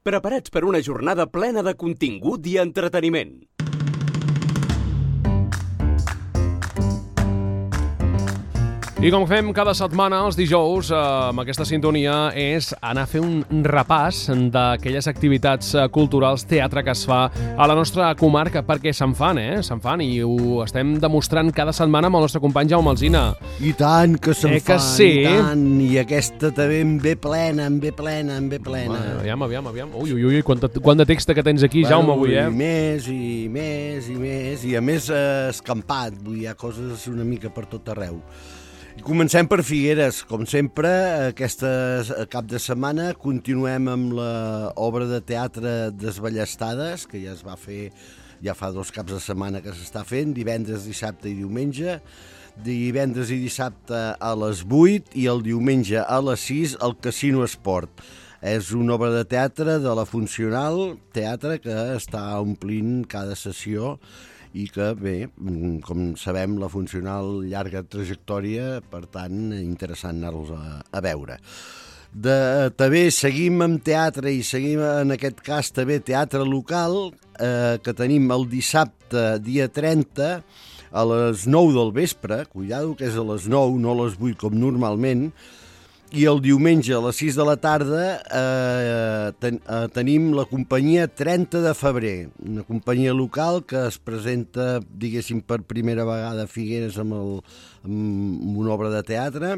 Preparats per una jornada plena de contingut i entreteniment. I com fem cada setmana els dijous amb aquesta sintonia és anar a fer un repàs d'aquelles activitats culturals, teatre que es fa a la nostra comarca, perquè se'n fan, se'n fan, i ho estem demostrant cada setmana amb el nostre company Jaume Alsina. I tant que se'n fan, que sí? I tant, i aquesta també en ve plena. Aviam. Ui, quant de text que tens aquí, Jaume, avui, I més, i a més escampat, vull dir, hi ha coses una mica per tot arreu. I comencem per Figueres, com sempre, aquest cap de setmana continuem amb l'obra de teatre Desballestades, que ja es va fer, ja fa 2 caps de setmana que s'està fent, divendres, dissabte i diumenge, divendres i dissabte a les 8 i el diumenge a les 6 al Casino Esport. És una obra de teatre de la Funcional Teatre que està omplint cada sessió i que, bé, com sabem, la Funcional llarga trajectòria, per tant, interessant anar-los a veure. També seguim amb teatre i seguim, en aquest cas, també teatre local, que tenim el dissabte, dia 30, a les 9 del vespre, cuidado que és a les 9, no a les 8 com normalment, i el diumenge a les 6 de la tarda tenim la companyia 30 de febrer, una companyia local que es presenta, diguéssim, per primera vegada a Figueres amb una obra de teatre,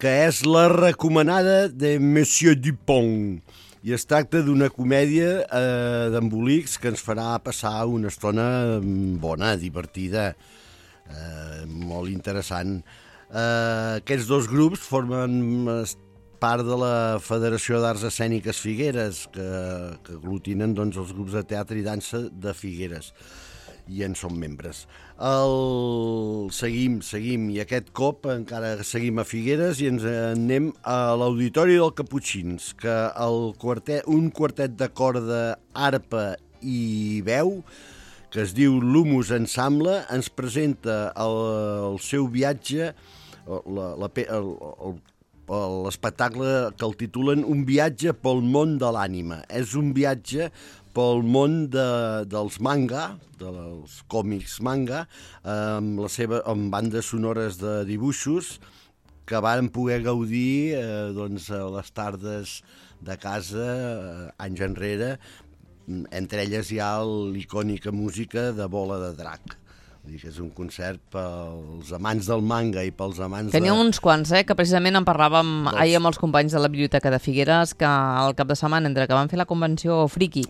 que és La recomanada de Monsieur Dupont. I es tracta d'una comèdia d'embolics que ens farà passar una estona bona, divertida, molt interessant. Aquests 2 grups formen part de la Federació d'Arts Escèniques Figueres, que aglutinen doncs, els grups de teatre i dansa de Figueres, i en són membres. Seguim, i aquest cop encara seguim a Figueres i ens anem a l'Auditori del Caputxins, que un quartet de corda, arpa i veu, que es diu l'Humus Ensemble, ens presenta el seu viatge, l'espectacle que el titulen Un viatge pel món de l'ànima. És un viatge pel món dels manga, dels còmics manga, amb bandes sonores de dibuixos que varen poder gaudir a les tardes de casa anys enrere. Entre elles hi ha l'icònica música de Bola de Drac. És un concert pels amants del manga i pels amants Tenia uns quants, que precisament en parlàvem ahir amb els companys de la Biblioteca de Figueres, que el cap de setmana, entre que van fer la convenció Friki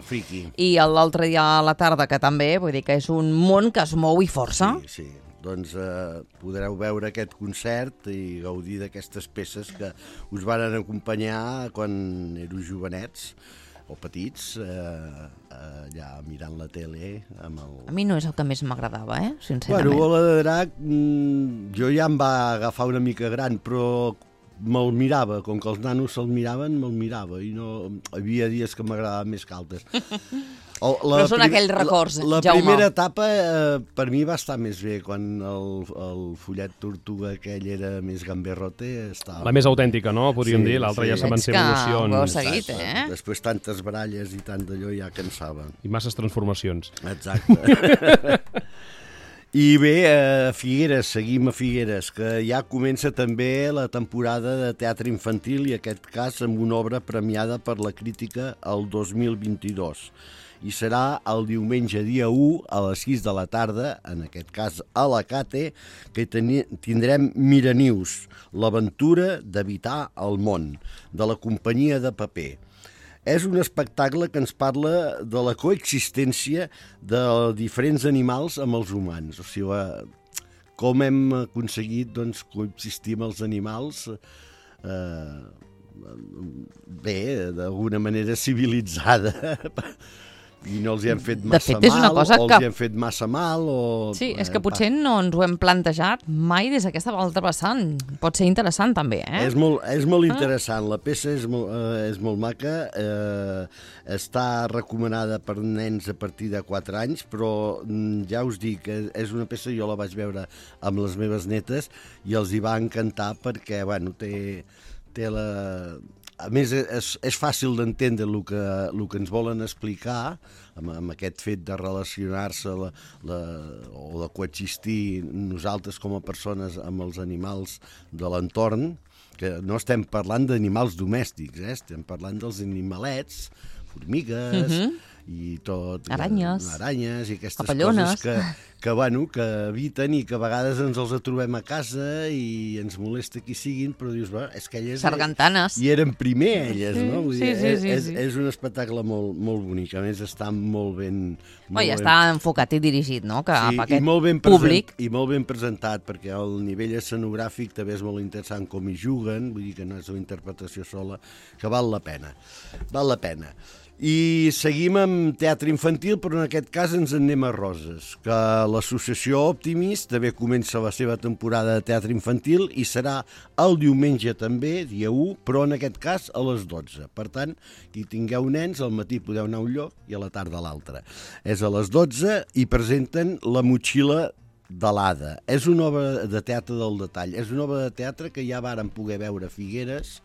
i l'altre dia a la tarda, que també, vull dir que és un món que es mou i força. Sí. Doncs podreu veure aquest concert i gaudir d'aquestes peces que us varen acompanyar quan éreu jovenets o petits, allà mirant la tele amb el... A mi no és el que més m'agradava, sincerament. Bueno, Bola de Drac, jo ja em va agafar una mica gran, però me'l mirava, com que els nanos se'l miraven, me'l mirava, i no... Havia dies que m'agradava més que altres. Però són aquells records, la Jaume. Primera etapa per mi va estar més bé, quan el follet tortuga aquell era més gamberrote. La més autèntica, no? Podríem dir, l'altra ja se van ser evolucions. Ho heu seguit, Després tantes baralles i tant d'allò ja cansava. I masses transformacions. Exacte. I bé, a Figueres, seguim a Figueres, que ja comença també la temporada de teatre infantil, i aquest cas amb una obra premiada per la crítica el 2022. I serà el diumenge dia 1 a les 6 de la tarda, en aquest cas a la Cate, que tindrem Miranius, l'aventura d'habitar el món, de la companyia de paper. És un espectacle que ens parla de la coexistència de diferents animals amb els humans. O sigui, com hem aconseguit coexistir amb els animals bé, d'alguna manera civilitzada, i no els hi hem fet massa mal, o els hi hem fet massa mal, o... Sí, és que potser no ens ho hem plantejat mai des d'aquesta altra vessant. Pot ser interessant, també, És molt interessant. La peça és molt maca, està recomanada per nens a partir de 4 anys, però ja us dic que és una peça, jo la vaig veure amb les meves netes, i els hi va encantar perquè, bueno, té a més, és fàcil d'entendre el que ens volen explicar amb aquest fet de relacionar-se o de coexistir nosaltres com a persones amb els animals de l'entorn, que no estem parlant d'animals domèstics, estem parlant dels animalets, formigues... i tot, aranyes i aquestes papallones. coses que habiten i que a vegades ens els trobem a casa i ens molesta qui siguin, però dius, és que elles sargantanes. I eren primer elles, no? Vull dir, Sí. És un espectacle molt bonic, a més està molt ben... Està enfocat i dirigit, no? Cap a aquest públic. I molt ben presentat, perquè el nivell escenogràfic també és molt interessant com hi juguen, vull dir que no és una interpretació sola, que val la pena. Val la pena. I seguim amb teatre infantil, però en aquest cas ens en anem a Roses, que l'associació Optimist també comença la seva temporada de teatre infantil i serà el diumenge també, dia 1, però en aquest cas a les 12. Per tant, qui tingueu nens, al matí podeu anar a un lloc i a la tarda a l'altre. És a les 12 i presenten La motxilla de l'Ada. És una obra de teatre del detall. És una obra de teatre que ja vàrem poder veure a Figueres,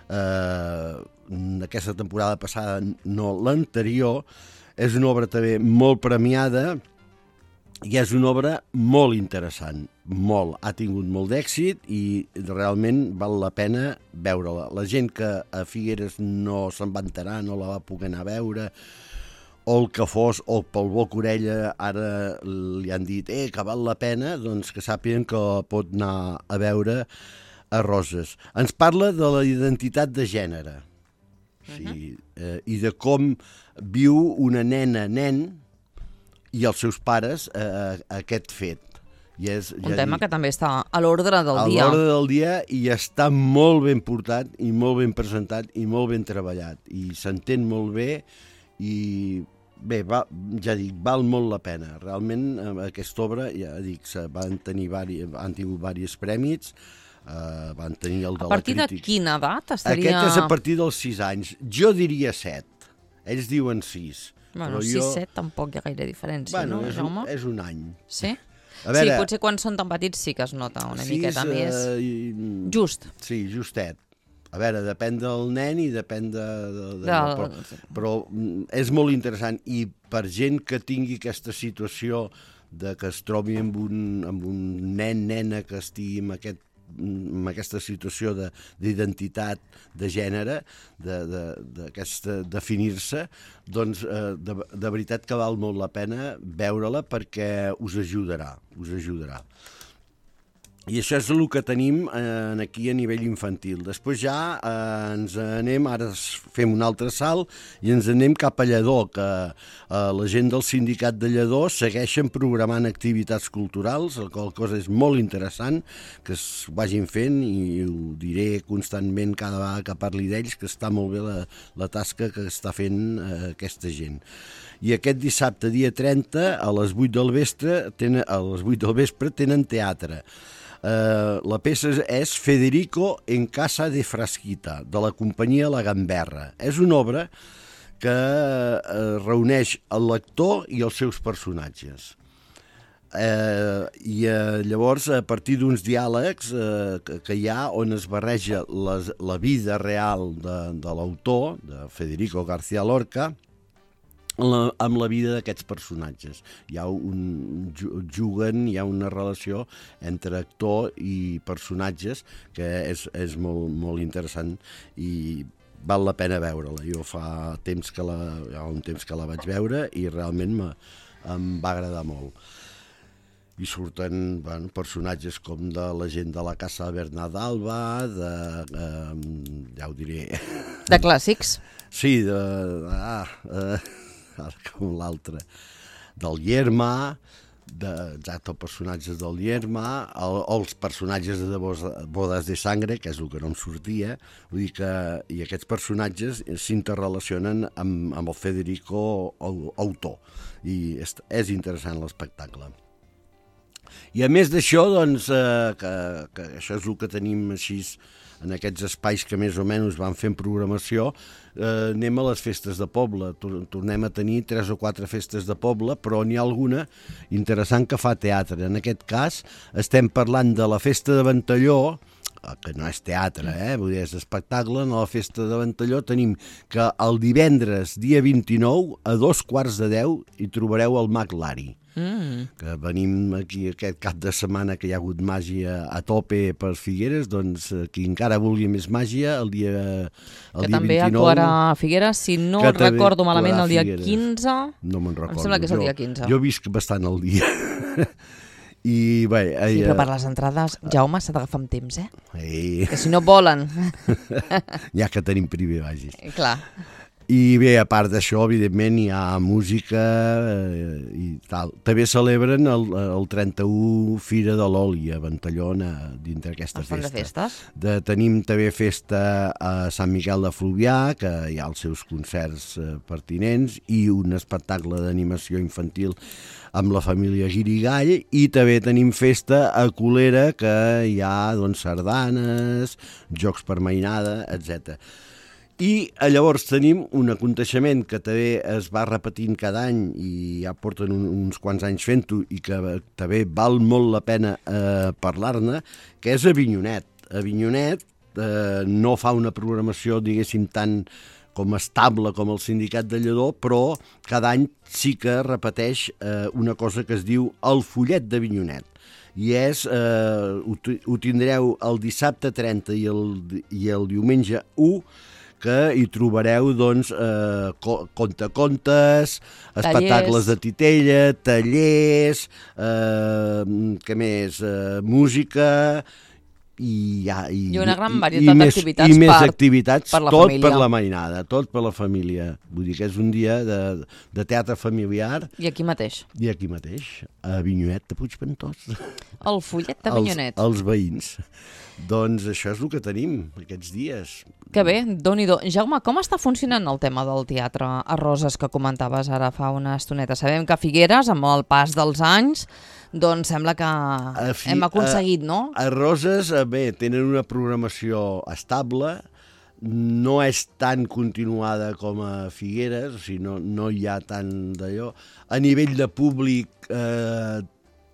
aquesta temporada passada, no l'anterior. És una obra també molt premiada i és una obra molt interessant, molt. Ha tingut molt d'èxit i realment val la pena veure-la. La gent que a Figueres no se'n va enterar, no la va poder anar a veure, o el que fos, o pel boc orella ara li han dit que val la pena, doncs que sàpiguen que pot anar a veure a Roses. Ens parla de la identitat de gènere, sí, i de com viu una nen i els seus pares aquest fet. I és, un tema que també està a l'ordre del dia. A l'ordre del dia i està molt ben portat i molt ben presentat i molt ben treballat. I s'entén molt bé i bé, ja dic, val molt la pena. Realment aquesta obra, ja dic, han tingut diversos premis, van tenir el de la crítica. A partir de quina edat estaria... Aquest és a partir dels 6 anys. Jo diria 7. Ells diuen 6. Bueno, 6-7 tampoc hi ha gaire diferència, no, Jaume? És un any. Sí? Sí, potser quan són tan petits sí que es nota una miqueta més. Just. Sí, justet. A veure, depèn del nen i depèn però és molt interessant. I per gent que tingui aquesta situació de que es trobi amb un nen-nena que estigui amb aquesta situació d'identitat de gènere, d'aquesta definir-se, doncs de veritat que val molt la pena veure-la perquè us ajudarà. I això és el que tenim aquí a nivell infantil. Després ja ens anem, ara fem un altre salt i ens anem cap a Lledó, que la gent del sindicat de Lledó segueixen programant activitats culturals, la qual cosa és molt interessant, que es vagin fent i ho diré constantment cada vegada que parli d'ells, que està molt bé la tasca que està fent aquesta gent. I aquest dissabte, dia 30, a les 8 del vespre tenen teatre. La peça és Federico en casa de Frasquita, de la companyia La Gamberra. És una obra que reuneix el lector i els seus personatges. I llavors, a partir d'uns diàlegs que hi ha on es barreja la vida real de l'autor, de Federico García Lorca, amb la vida d'aquests personatges. Juguen, hi ha una relació entre actor i personatges que és molt interessant i val la pena veure-la. Jo fa un temps que la vaig veure i realment em va agradar molt. I surten personatges com de la gent de la Casa de Bernadalba, ja ho diré... De clàssics? Sí, com l'altre, del Lerma, els personatges del Lerma, els personatges de Bodas de Sangre, que és el que no em sortia, vull dir que i aquests personatges s'interrelacionen amb el Federico autor, i és interessant l'espectacle. I a més d'això, doncs, que això és el que tenim així en aquests espais que més o menys van fent programació, anem a les festes de poble. Tornem a tenir 3 o 4 festes de poble, però n'hi ha alguna interessant que fa teatre. En aquest cas estem parlant de la Festa de Ventalló, que no és teatre, vull dir, és espectacle. A la festa de Ventalló tenim que el divendres, dia 29, a 9:45, hi trobareu el Mag Lari. Que venim aquí aquest cap de setmana que hi ha hagut màgia a tope per Figueres, doncs qui encara vulgui més màgia, el dia 29... Que també actuarà a Figueres, si no recordo malament, el dia 15... No me'n recordo. Em sembla que és el dia 15. Jo visc bastant el dia. I bé... Sí, però per les entrades, Jaume, s'ha d'agafar amb temps, Ei. Que si no volen... Ja que tenim privilegis. Clar. I bé, a part d'això, evidentment, hi ha música i tal. També celebren el 31 Fira de l'Oli a Ventallona dintre aquesta festa. De festes? Tenim també festa a Sant Miquel de Fluvià, que hi ha els seus concerts pertinents, i un espectacle d'animació infantil amb la família Guirigall, i també tenim festa a Colera, que hi ha doncs, sardanes, jocs per mainada, etc. I llavors tenim un aconteixement que també es va repetint cada any i ja porten uns quants anys fent-ho i que també val molt la pena parlar-ne, que és Avinyonet. Avinyonet no fa una programació, diguéssim, tan com estable com el Sindicat de Lledó, però cada any sí que repeteix una cosa que es diu el Follet d'Avinyonet. I és, ho tindreu el dissabte 30 i el diumenge 1, que hi trobareu doncs, contacontes, espectacles de titella, tallers, què més, música i una gran varietat d'activitats i més activitats, per la tot família. Per la mainada, tot per la família. Vull dir que és un dia de teatre familiar. I aquí mateix. I aquí mateix, a Avinyonet de Puigventós. El Follet d'Avinyonet. Els veïns. Doncs això és el que tenim aquests dies. Que bé, Déu-n'hi-do. Jaume, com està funcionant el tema del teatre a Roses que comentaves ara fa una estoneta? Sabem que a Figueres, amb el pas dels anys, doncs sembla que hem aconseguit, no? A Roses, bé, tenen una programació estable, no és tan continuada com a Figueres, o sigui, no hi ha tant d'allò. A nivell de públic,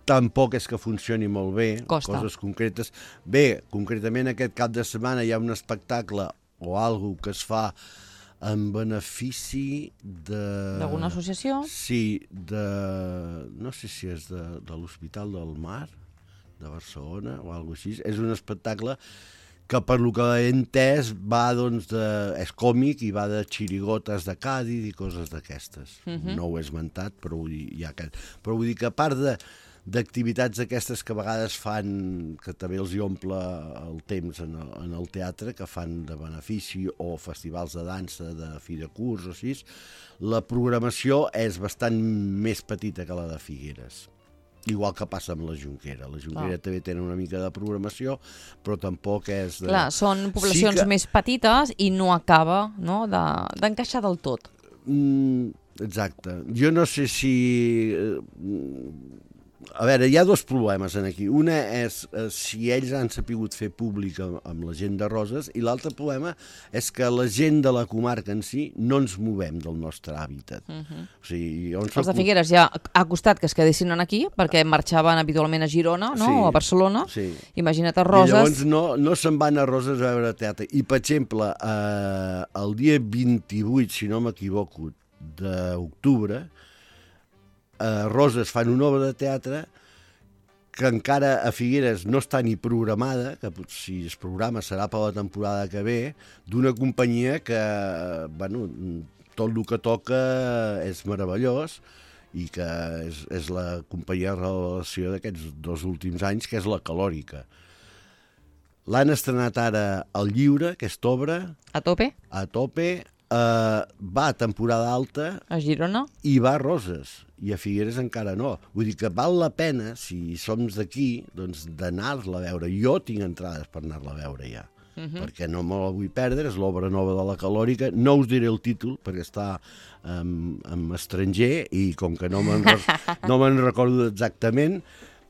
tampoc és que funcioni molt bé. Costa. Coses concretes. Bé, concretament aquest cap de setmana hi ha un espectacle o alguna que es fa en benefici de... D'alguna associació? Sí, no sé si és de l'Hospital del Mar, de Barcelona o alguna cosa així. És un espectacle que per lo que he entès va, doncs, és còmic i va de xirigotes de Càdiz i coses d'aquestes. No ho he esmentat, però vull dir que a part d'activitats aquestes que a vegades fan, que també els hi omple el temps en el teatre, que fan de benefici, o festivals de dansa, de fi de curs o així, la programació és bastant més petita que la de Figueres. Igual que passa amb la Jonquera. La Jonquera també tenen una mica de programació, però tampoc és... Clar, són poblacions més petites i no acaba d'encaixar del tot. Exacte. Jo no sé si... A veure, hi ha dos problemes aquí. Una és si ells han sapigut fer públic amb la gent de Roses, i l'altre problema és que la gent de la comarca en si no ens movem del nostre hàbitat. O sigui, els de Figueres ja ha costat que es quedessin aquí, perquè marxaven habitualment a Girona, no? O a Barcelona. Sí. Imagina't a Roses. I llavors no se'n van a Roses a veure teatre. I, per exemple, el dia 28, si no m'equivoco, d'octubre, a Roses fan una obra de teatre que encara a Figueres no està ni programada, que si es programa serà per la temporada que ve, d'una companyia que, bueno, tot el que toca és meravellós i que és la companyia de revelació d'aquests 2 últims anys, que és la Calòrica. L'han estrenat ara al Lliure, aquesta obra. A tope? A tope. Va a temporada alta a Girona i va a Roses, i a Figueres encara no. Vull dir que val la pena, si som d'aquí, doncs d'anar-la a veure. Jo tinc entrades per anar-la a veure ja, perquè no me la vull perdre. És l'obra nova de la Calòrica. No us diré el títol perquè està en estranger i com que no me'n recordo exactament,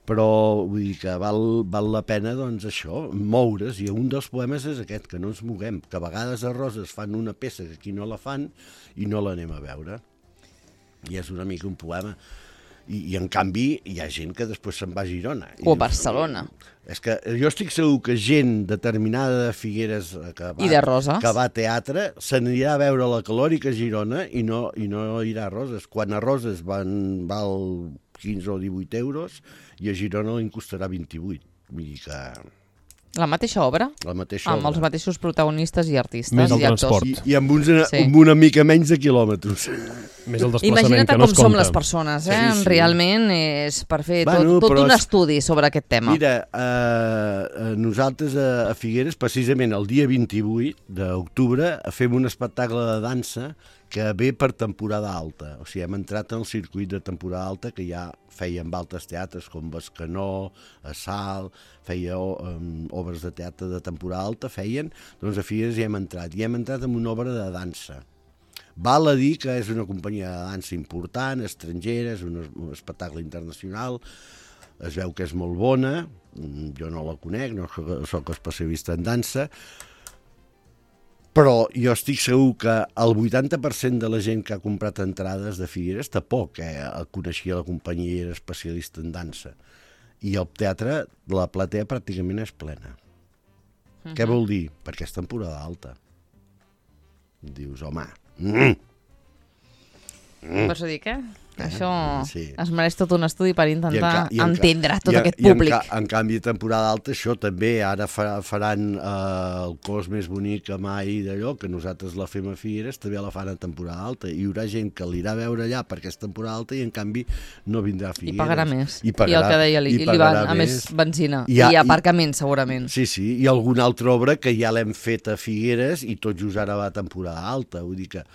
però vull dir que val la pena, doncs, això, moure's, i un dels problemes és aquest, que no ens moguem, que a vegades a Roses fan una peça que aquí no la fan i no l'anem a veure, i és una mica un problema. I en canvi hi ha gent que després se'n va a Girona. O a Barcelona. És que jo estic segur que gent determinada de Figueres i de Roses, que va a teatre s'anirà a veure la Calòrica a Girona i no irà a Roses. Quan a Roses val 15 o 18 euros i a Girona li costarà 28. Vull dir que... La mateixa obra? La mateixa amb obra. els mateixos protagonistes i artistes Més el i actors. transport. I amb una mica menys de quilòmetres. Més el desplaçament, Imagina't que no es com som compta. les persones, Sí. Realment és per fer Bueno, tot però un estudi sobre aquest tema. Mira, nosaltres a Figueres, precisament el dia 28 d'octubre, fem un espectacle de dansa que ve per temporada alta. O sigui, hem entrat en el circuit de temporada alta que ja fèiem altres teatres com Bescanó, a Salt, feia obres de teatre de temporada alta, doncs a Figueres hi hem entrat. I hem entrat en una obra de dansa. Val a dir que és una companyia de dansa important, estrangera, és un espectacle internacional, es veu que és molt bona, jo no la conec, no soc especialista en dansa, però jo estic segur que el 80% de la gent que ha comprat entrades de Figueres tampoc coneixia la companyia i era especialista en dansa. I el teatre, la platea pràcticament és plena. Què vol dir? Perquè és temporada alta. Dius, home... Per això dic, Això sí. es mereix tot un estudi per intentar entendre tot i aquest públic. En canvi, temporada alta, això també, ara faran el cos més bonic que mai d'allò, que nosaltres la fem a Figueres, també la fan a temporada alta. Hi haurà gent que l'irà a veure allà perquè és temporada alta i, en canvi, no vindrà a Figueres. I pagarà més. I el que deia, li van a més benzina. I aparcament, segurament. Sí, i alguna altra obra que ja l'hem fet a Figueres i tot just ara va a temporada alta. Vull dir que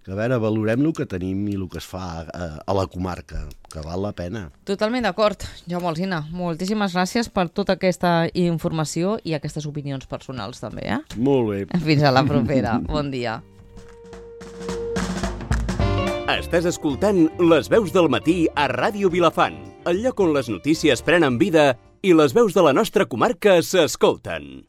a veure, valorem el que tenim i el que es fa a la comarca, que val la pena. Totalment d'acord. Jaume Alsina, moltíssimes gràcies per tota aquesta informació i aquestes opinions personals també, Molt bé. Fins a la propera. Bon dia. Estàs escoltant Les veus del matí a Ràdio Vilafant, el lloc on les notícies prenen vida i les veus de la nostra comarca s'escolten.